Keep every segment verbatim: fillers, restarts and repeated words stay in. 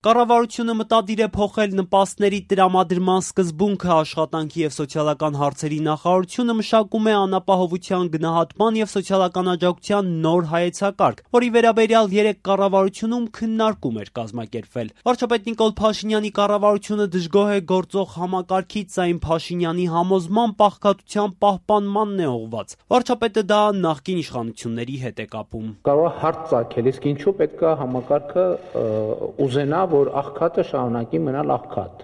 Կառավարությունը մտադիր է փոխել նպաստների տրամադրման սկզբունքը։ Աշխատանքի և սոցիալական հարցերի նախարարությունը մշակում է անապահովության գնահատման և սոցիալական աջակցության նոր հայեցակարգ, որի վերաբերյալ երեք կառավարությունում քննարկում էր կազմակերպվել։ Վարչապետ Նիկոլ Փաշինյանի կառավարությունը դժգոհ է գործող համակարգից, սակայն Փաշինյանի համոզմամբ աղքատության պահպանմանն է ուղղված։ Վարչապետը դա նախկին իշխանությունների հետ է կապում։ Կարող է հարց ծագել, իսկ ինչու պետք է համակարգը ուզենա, որ աղքատը շարունակի մնալ աղքատ։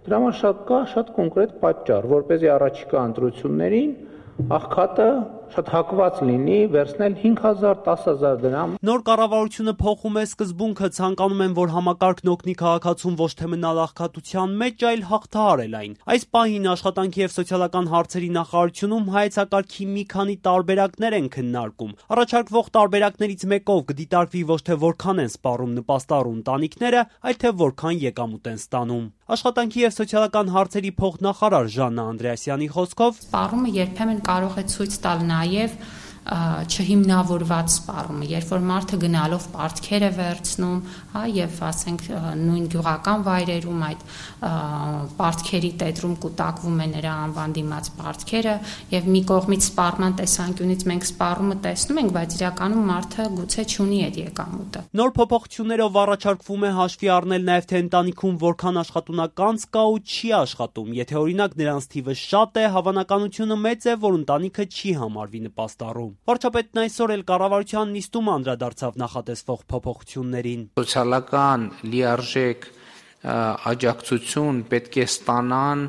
Դրա համար շատ կա շատ կոնկրետ պատճառ, որպեսզի առաջիկա ընտրություններին աղքատը շատ հակված լինի վերցնել հինգ հազար, դաս հազար դրամ։ Նոր կառավարությունը փոխում է սկզբունքը, ցանկանում են, որ համակարգն օգնի քաղաքացուն ոչ թե մնալ աղքատության մեջ, այլ հաղթահարել այն։ Այս պահին աշխատանքի և սոցիալական հարցերի նախարարությունում հայեցակարգի մի քանի տարբերակներ են քննարկում։ Առաջարկվող տարբերակներից մեկով կդիտարկվի ոչ թե որքան են սպառում նպաստառու ընտանիքները, այլ թե որքան եկամուտ են ստանում։ Աշխատանքի և սոցիալական հարցերի փոխնախարար Ժաննա Անդրեասյանի խոսքով սպառումը երբեմն կարող է ցույց տալ նաև չհիմնավորված սպառումը, երբ որ մարդը գնալով պարտքեր է վերցնում, հա, եւ ասենք նույն գյուղական վայրերում այդ պարտքերի տետրում կուտակվում է նրա անվան դիմաց պարտքերը, եւ մի կողմից սպառման տեսանկյունից մենք սպառումը տեսնում ենք, բայց իրականում մարդը գուցե չունի այդ եկամուտը։ Նոր փոփոխություններով առաջարկվում է հաշվի առնել նաև թե ընտանիքում որքան աշխատունականց կա ու չի աշխատում։ Եթե օրինակ նրանց թիվը շատ է, հավանականությունը մեծ է, որ ընտանիքը չի համարվի նպաստառու։ Վարչապետն այսօր էլ կառավարության նիստում անդրադարձավ նախատեսվող փոփոխություններին։ Սոցիալական լիարժեք աջակցություն պետք է ստանան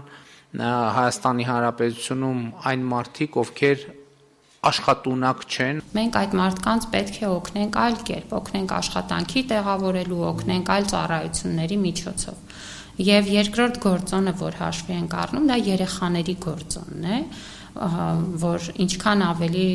Հայաստանի Հանրապետությունում այն մարդիկ, ովքեր աշխատունակ չեն։ Մենք այդ մարդկանց պետք է օգնենք այլ կերպ, օգնենք աշխատանքի տեղավորելու, օգնենք այլ ծառայությունների միջոցով։ Եվ երկրորդ գործոնը, որ հաշվի ենք առնում, դա երեխաների գործոնն է, որ ինչքան ավելի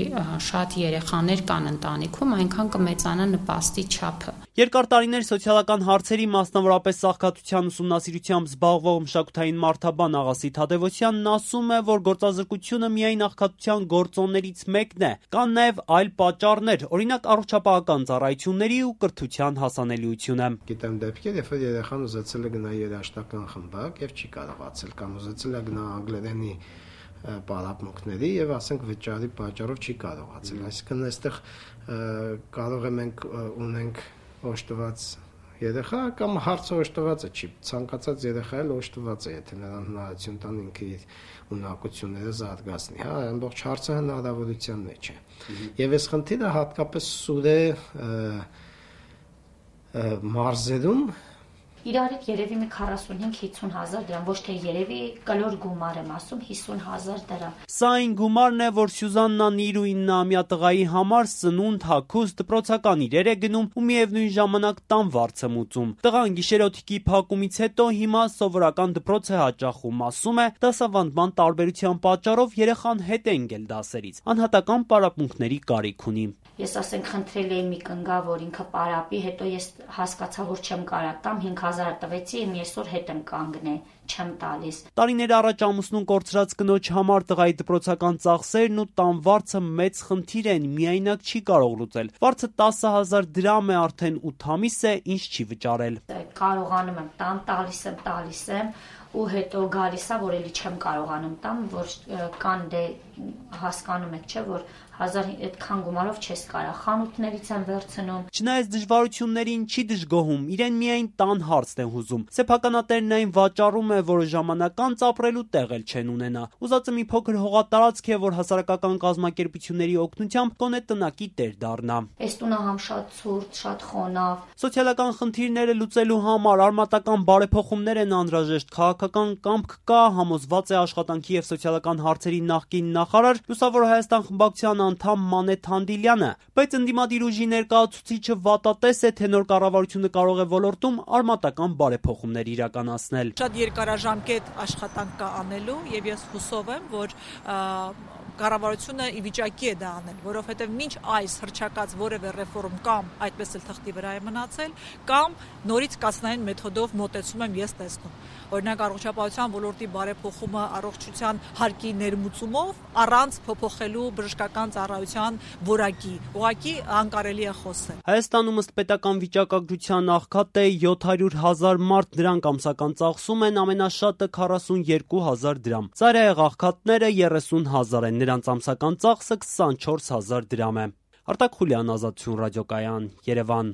շատ երեխաներ կան ընտանիքում, այնքան կմեծանա նպաստի չափը։ Երկար տարիներ սոցիալական հարցերի, մասնավորապես աղքատության ուսումնասիրությամբ զբաղվող մշակութային մարդաբան Աղասի Թադևոսյանն ասում է, որ գործազրկությունը միայն աղքատության գործոններից մեկն է, կան նաև այլ պատճառներ, օրինակ առողջապահական ծառայությունների ու կրթության հասանելիությունը։ Գիտեմ դեպքեր, երբ որ երեխան ուզեցել է գնալ երաժշտական խմբակ եւ չի կարողացել, կամ ուզեցել է գնալ անգլերենի պարապմունքների եւ ասենք վճարի պատճառով չի կարողացել։ Այսինքն այստեղ կարող է մենք ունենք օժտված երեխա կամ հարցը օժտված է, չի ցանկացած երեխա էլ օժտված է, եթե նրան հնարավորություն տան ինքը իր ունակությունները զարգացնի, հա, ամբողջ հարցը հնարավորության մեջ է։ Եվ այս խնդիրը հատկապես սուր է մարզերում։ Իրար հետ երևի մի քառասունհինգ հիսուն հազար դրամ, ոչ թե երևի կլոր գումար եմ ասում, հիսուն հազար դրամ։ Սա այն գումարն է, որ Սյուզաննան իր ու իննամյա տղայի համար սնունդ, հագուստ, դպրոցական իրեր է գնում ու միևնույն ժամանակ տան վարձ է մուծում։ Տղան գիշերօթիկի փակումից հետո հիմա սովորական դպրոց է հաճախում, ասում է, դասավանդման տարբերության պատճառով երեխան հետ է ընկել դասերից, անհատական պարապմունքների կարիք ունի։ Ես ասենք խնդրել էի մի կնգա, որ ինքը պարապի, հետո ես հասկացա, որ չեմ կարա տամ, հինգ հազար տվեցի, իմ այսօր հետ եմ կանգնել, չեմ տալիս։ Տարիներ առաջ ամուսնուն կորցրած կնոջ համար տղայի դպրոցական ծախսերն ու տան վարձը մեծ խնդիր են, միայնակ չի կարող լուծել։ Վարձը տասը հազար դրամ է, արդեն ութ ամիս է, ինչ չի վճարել։ Կարողանում եմ տամ, տալիս եմ, տալիս եմ ու հետո գալիս է, որ էլի չեմ կարողանում տամ, որ կան դե հասկանում եք, չէ, որ հազար այդքան գումարով չես կարա, խանութներից են վերցնում։ Չնայած դժվարություններին չի դժգոհում, իրեն միայն տան հարցն է հուզում։ Սեփականատերն այն վաճառում է, որը ժամանակ անց ապրելու տեղ էլ չեն ունենա։ Ուզածը մի փոքր հողատարածք է, որ հասարակական կազմակերպությունների օգնությամբ գոնե տնակի տեր դառնա։ Այս տունը համ շատ ցուրտ, շատ խոնավ։ Սոցիալական խնդիրները լուծելու համար արմատական բարեփոխումներ են անհրաժեշտ, քաղաքական կամք կա, համոզված է աշխատանքի և սոցիալական հարցերի նախկին նախարար, Լուսավոր Հայաստան խմբակցության անդամ Մանե Թանդիլյանը, բայց ընդդիմադիր ուժի ներկայացուցիչը վատատես է, թե նոր կառավարությունը կարող է ոլորտում արմատական բարեփոխումներ իրականացնել։ Շատ երկարաժամկետ աշխատանք կա անելու եւ ես հուսով եմ, որ կառավարությունը ի վիճակի է դա անել, որովհետև մինչ այս հռչակած որևէ ռեֆորմ կամ այդպես էլ թղթի վրա է մնացել, կամ նորից կասնային մեթոդով մոտեցում եմ ես տեսնում։ Օրինակ առողջապահության ոլորտի բարեփոխումը առողջության հարկի ներմուծումով առանց փոփոխելու բժշկական ծառայության որակի, ուղղակի անկարելի է խոսել։ Հայաստանում ըստ պետական վիճակագրության աղքատ է յոթ հարյուր հազար մարդ, դրանք ամսական ծախսում են ամենաշատը քառասունյերկու հազար դրամ։ Ծայրահեղ աղքատները երեսուն հազար են, նրանց ամսական ծախսը քսանչորս հազար դրամ է։ Արտակ Խուլյան, Ազատություն ռադիոկայան, Երևան։